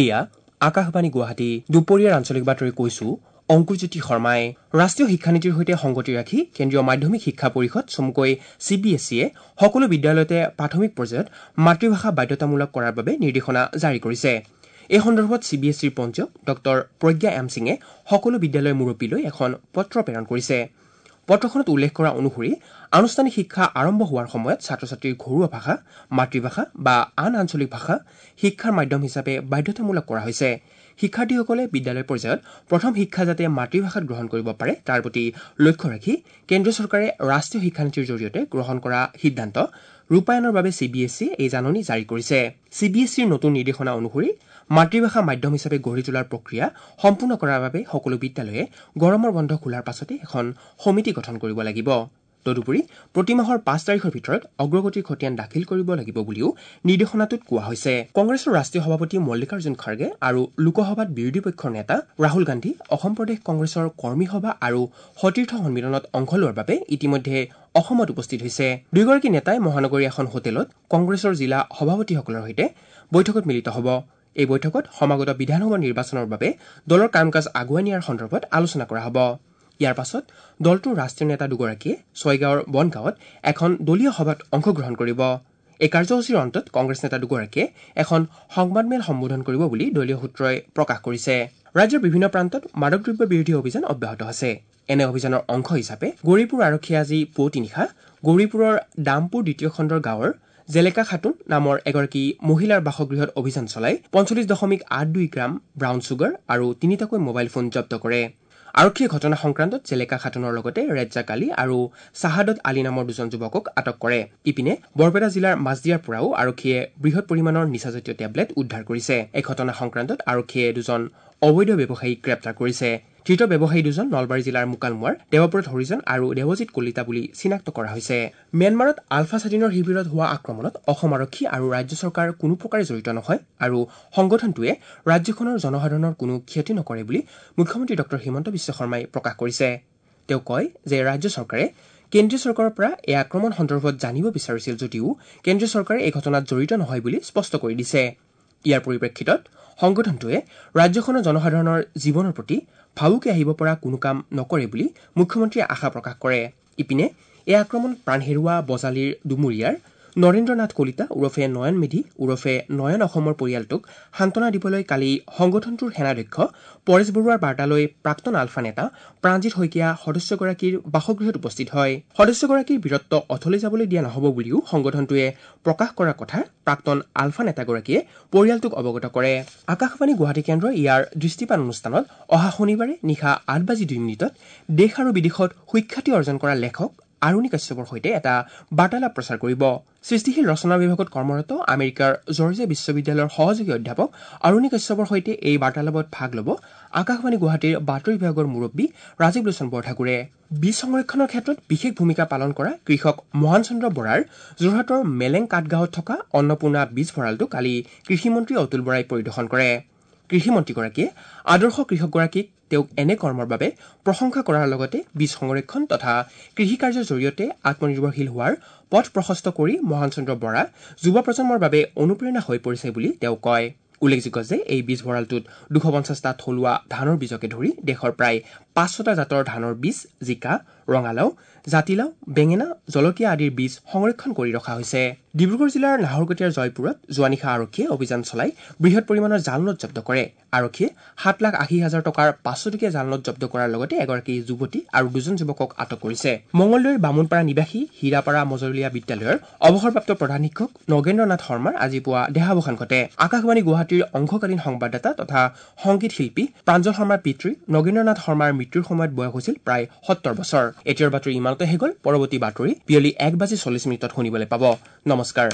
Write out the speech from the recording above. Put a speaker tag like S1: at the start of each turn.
S1: এয়া আকাশবাণী গুৱাহাটী। দুপৰীয়াৰ আঞ্চলিক বাতৰি কৈছো অংকুৰজ্যোতি শৰ্মাই। ৰাষ্ট্ৰীয় শিক্ষানীতিৰ সৈতে সংগতি ৰাখি কেন্দ্ৰীয় মাধ্যমিক শিক্ষা পৰিষদ চমুকৈ চি বি এছ ইয়ে সকলো বিদ্যালয়তে প্ৰাথমিক পৰ্যায়ত মাতৃভাষা বাধ্যতামূলক কৰাৰ বাবে নিৰ্দেশনা জাৰি কৰিছে। এই সন্দৰ্ভত চি বি এছ ইৰ পঞ্জীয়ক ডঃ প্ৰজ্ঞা এম সিঙে সকলো বিদ্যালয়ৰ মুৰব্বীলৈ এখন পত্ৰ প্ৰেৰণ কৰিছে। পত্ৰখনত উল্লেখ কৰা অনুসৰি আনুষ্ঠানিক শিক্ষা আৰম্ভ হোৱাৰ সময়ত ছাত্ৰ ছাত্ৰীৰ ঘৰুৱা ভাষা, মাতৃভাষা বা আন আঞ্চলিক ভাষা শিক্ষাৰ মাধ্যম হিচাপে বাধ্যতামূলক কৰা হৈছে। শিক্ষাৰ্থীসকলে বিদ্যালয় পৰ্যায়ত প্ৰথম শিক্ষা যাতে মাতৃভাষাত গ্ৰহণ কৰিব পাৰে তাৰ প্ৰতি লক্ষ্য ৰাখি কেন্দ্ৰীয় চৰকাৰে ৰাষ্ট্ৰীয় শিক্ষানীতিৰ জৰিয়তে গ্ৰহণ কৰা সিদ্ধান্ত ৰূপায়ণৰ বাবে চি বি এছ ইয়ে এই জাননী জাৰি কৰিছে। চি বি এছ ইৰ নতুন নিৰ্দেশনা অনুসৰি মাতৃভাষা মাধ্যম হিচাপে গঢ়ি তোলাৰ প্ৰক্ৰিয়া সম্পূৰ্ণ কৰাৰ বাবে সকলো বিদ্যালয়ে গৰমৰ বন্ধ খোলাৰ পাছতে এখন সমিতি গঠন কৰিব লাগিব। তদুপৰি প্ৰতিমাহৰ 5 তাৰিখৰ ভিতৰত অগ্ৰগতিৰ খতিয়ান দাখিল কৰিব লাগিব বুলিও নিৰ্দেশনাটোত কোৱা হৈছে। কংগ্ৰেছৰ ৰাষ্ট্ৰীয় সভাপতি মল্লিকাৰ্জুন খাৰ্গে আৰু লোকসভাত বিৰোধী পক্ষৰ নেতা ৰাহুল গান্ধী অসম প্ৰদেশ কংগ্ৰেছৰ কৰ্মী সভা আৰু সতীৰ্থ সন্মিলনত অংশ লোৱাৰ বাবে ইতিমধ্যে অসমত উপস্থিত হৈছে। দুয়োগৰাকী নেতাই মহানগৰীৰ এখন হোটেলত কংগ্ৰেছৰ জিলা সভাপতিসকলৰ সৈতে বৈঠকত মিলিত হ'ব। এই বৈঠকত সমাগত বিধানসভা নিৰ্বাচনৰ বাবে দলৰ কাম কাজ আগুৱাই নিয়াৰ সন্দৰ্ভত আলোচনা কৰা হ'ব। ইয়াৰ পাছত দলটোৰ ৰাষ্ট্ৰীয় নেতা দুগৰাকীয়ে ছয়গাঁৱৰ বনগাঁৱত এখন দলীয় সভাত অংশগ্ৰহণ কৰিব। এই কাৰ্যসূচীৰ অন্তত কংগ্ৰেছ নেতা দুগৰাকীয়ে এখন সংবাদমেল সম্বোধন কৰিব বুলি দলীয় সূত্ৰই প্ৰকাশ কৰিছে। ৰাজ্যৰ বিভিন্ন প্ৰান্তত মাদক দ্ৰব্য বিৰোধী অভিযান অব্যাহত আছে। এনে অভিযানৰ অংশ হিচাপে গৌৰীপুৰ আৰক্ষীয়ে আজি পুৱতি নিশা গৌৰীপুৰৰ দামপুৰ দ্বিতীয় খণ্ডৰ গাঁৱৰ জেলেকা খাতুন নামৰ এগৰাকী মহিলাৰ বাসগৃহত অভিযান চলাই 45.82 গ্ৰাম ব্ৰাউন চুগাৰ আৰু তিনিটাকৈ মোবাইল ফোন জব্দ কৰে। আৰক্ষীয়ে ঘটনা সংক্ৰান্তত জেলেকা খাতুনৰ লগতে ৰেজ্জাক আলী আৰু চাহাদত আলী নামৰ দুজন যুৱকক আটক কৰে। ইপিনে বৰপেটা জিলাৰ মাজদিয়াৰ পৰাও আৰক্ষীয়ে বৃহৎ পৰিমাণৰ নিচাজাতীয় টেবলেট উদ্ধাৰ কৰিছে। এই ঘটনা সংক্ৰান্তত আৰক্ষীয়ে দুজন অবৈধ ব্যৱসায়ীক গ্ৰেপ্তাৰ কৰিছে। ধৃত ব্যৱসায়ী দুজন নলবাৰী জিলাৰ মুকালমুৱাৰ দেৱব্ৰত হৰিজন আৰু দেৱজিৎ কলিতা বুলি চিনাক্ত কৰা হৈছে। ম্যানমাৰত আলফা স্বাধীনৰ শিবিৰত হোৱা আক্ৰমণত অসম আৰক্ষী আৰু ৰাজ্য চৰকাৰ কোনো প্ৰকাৰে জড়িত নহয় আৰু সংগঠনটোৱে ৰাজ্যখনৰ জনসাধাৰণৰ কোনো ক্ষতি নকৰে বুলি মুখ্যমন্ত্ৰী ডঃ হিমন্ত বিশ্ব শৰ্মাই প্ৰকাশ কৰিছে। তেওঁ কয় যে ৰাজ্য চৰকাৰে কেন্দ্ৰীয় চৰকাৰৰ পৰা এই আক্ৰমণ সন্দৰ্ভত জানিব বিচাৰিছিল যদিও কেন্দ্ৰীয় চৰকাৰে এই ঘটনাত জড়িত নহয় বুলি স্পষ্ট কৰি দিছে। ইয়াৰ পৰিপ্ৰেক্ষিতত সংগঠনটোৱে ৰাজ্যখনৰ জনসাধাৰণৰ জীৱনৰ প্ৰতি ভাবুকি আহিব পৰা কোনো কাম নকৰে বুলি মুখ্যমন্ত্ৰীয়ে আশা প্ৰকাশ কৰে। ইপিনে এই আক্ৰমণত প্ৰাণ হেৰুওৱা বজালীৰ ডুমুৰীয়াৰ নৰেন্দ্ৰ নাথ কলিতা ওৰফে নয়ন মেধি ওৰফে নয়ন অসমৰ পৰিয়ালটোক সান্তনা দিবলৈ কালি সংগঠনটোৰ সেনাধ্যক্ষ পৰেশ বৰুৱাৰ বাৰ্তালৈ প্ৰাক্তন আলফা নেতা প্ৰাণজিৎ শইকীয়া সদস্যগৰাকীৰ বাসগৃহত উপস্থিত হয়। সদস্যগৰাকীৰ বীৰত্ব অথলে যাবলৈ দিয়া নহ'ব বুলিও সংগঠনটোৱে প্ৰকাশ কৰাৰ কথা প্ৰাক্তন আলফা নেতাগৰাকীয়ে পৰিয়ালটোক অৱগত কৰে। আকাশবাণী গুৱাহাটী কেন্দ্ৰই ইয়াৰ দৃষ্টিপাত অনুষ্ঠানত অহা শনিবাৰে নিশা 8:02 দেশ আৰু বিদেশত সুখ্যাতি অৰ্জন কৰা লেখক আৰুণি কাশ্যপৰ সৈতে এটা বাৰ্তালাপ প্ৰচাৰ কৰিব। সৃষ্টিশীল ৰচনা বিভাগত কৰ্মৰত আমেৰিকাৰ জৰ্জিয়া বিশ্ববিদ্যালয়ৰ সহযোগী অধ্যাপক আৰুণি কাশ্যপৰ সৈতে এই বাৰ্তালাপত ভাগ ল'ব আকাশবাণী গুৱাহাটীৰ বাতৰি বিভাগৰ মুৰব্বী ৰাজীৱ লোচন বৰঠাকুৰে। বীজ সংৰক্ষণৰ ক্ষেত্ৰত বিশেষ ভূমিকা পালন কৰা কৃষক মহান চন্দ্ৰ বৰাৰ যোৰহাটৰ মেলেং কাঠগাঁৱত থকা অন্নপূৰ্ণা বীজ ভঁৰালটো কালি কৃষিমন্ত্ৰী অতুল বৰাই পৰিদৰ্শন কৰে। কৃষিমন্ত্ৰীগৰাকীয়ে আদৰ্শ কৃষকগৰাকীক তেওঁক এনে কৰ্মৰ বাবে প্ৰশংসা কৰাৰ লগতে বীজ সংৰক্ষণ তথা কৃষিকাৰ্যৰ জৰিয়তে আত্মনিৰ্ভৰশীল হোৱাৰ পথ প্ৰশস্ত কৰি মহান চন্দ্ৰ বৰা যুৱ প্ৰজন্মৰ বাবে অনুপ্ৰেৰণা হৈ পৰিছে বুলি তেওঁ কয়। উল্লেখযোগ্য যে এই বীজ ভঁৰালটোত 250টা থলুৱা ধানৰ বীজকে ধৰি দেশৰ প্ৰায় 500টা জাতৰ ধানৰ বীজ, জিকা, ৰঙালাও, জাতিলাও, বেঙেনা, জলকীয়া আদিৰ বীজ সংৰক্ষণ কৰি ৰখা হৈছে। ডিব্ৰুগড় জিলাৰ নাহৰকটীয়াৰ জয়পুৰত যোৱা নিশা আৰক্ষীয়ে অভিযান চলাই বৃহৎ পৰিমাণৰ জালনোট জব্দ কৰে। আৰক্ষীয়ে 7,80,000 টকাৰ 500 টকীয়া জালনোট জব্দ কৰাৰ লগতে এগৰাকী যুৱতী আৰু দুজন যুৱকক আটক কৰিছে। মঙলদৈৰ বামুণপাৰা নিবাসী হীৰাপাৰা মজলীয়া বিদ্যালয়ৰ অৱসৰপ্ৰাপ্ত প্ৰধান শিক্ষক নগেন্দ্ৰ নাথ শৰ্মাৰ আজি পুৱা দেহাৱসান ঘটে। আকাশবাণী গুৱাহাটীৰ অংশকালীন সংবাদদাতা তথা সংগীত শিল্পী প্ৰাঞ্জল শৰ্মাৰ পিতৃ নগেন্দ্ৰ নাথ শৰ্মাৰ মৃত্যুৰ সময়ত বয়স হৈছিল প্ৰায় 70 বছৰ। এতিয়াৰ বাতৰি ইমানতে শেষ হ'ল। পৰৱৰ্তী বাতৰি বিয়লি 1:40 শুনিবলৈ পাব। নমস্কাৰ।